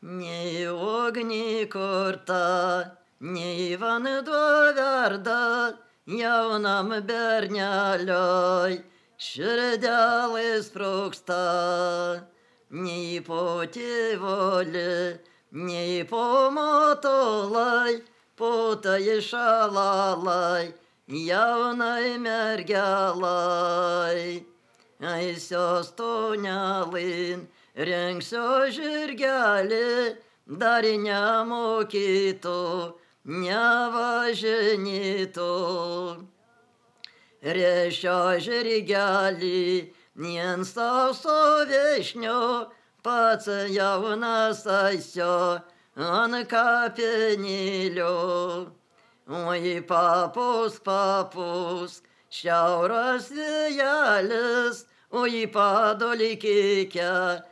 Nei ugnį kurta, nei vanduo verda, jaunam berneliui širdelė sprogsta. Nei po tėvolį, nei po matolai, po tai šalalai, jaunai mergelai. Eisios tonelin, rengsiu žirgelį, dar nemokytų, nevažinėtų. Rėšio žirgelį, ant sauso viešnio, pats jaunas eisiu ant kapinėlio. Oi papūsk, papūsk, šiaurės vėjelis, oi padolykike,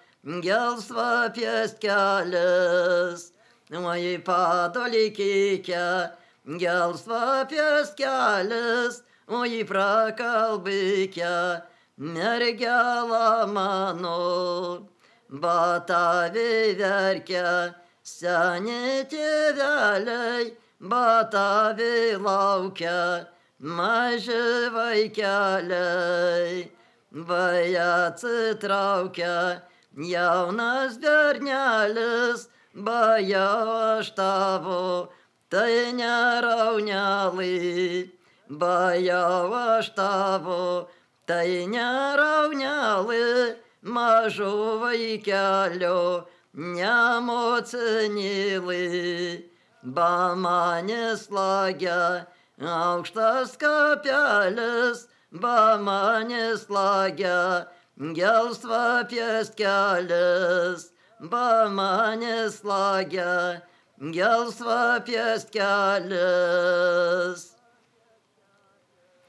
gelsva pieskelis. Oi padolykike, gelsva pieskelis, oi prakalbike, mergela mano. Batavi verkia, seni tėveliai, batavi laukia, maži vaikeliai. Vai atsitraukia jaunas bernelis, bajau aš tavo, tai neraunelį. Bajau aš tavo, tai neraunelį, mažo vaikelio, nemocinėlį. Ba manęs lagia aukštas kapelis, ba manęs lagia gelsva pieskelis, ba manęs lagia gelsva pieskelis.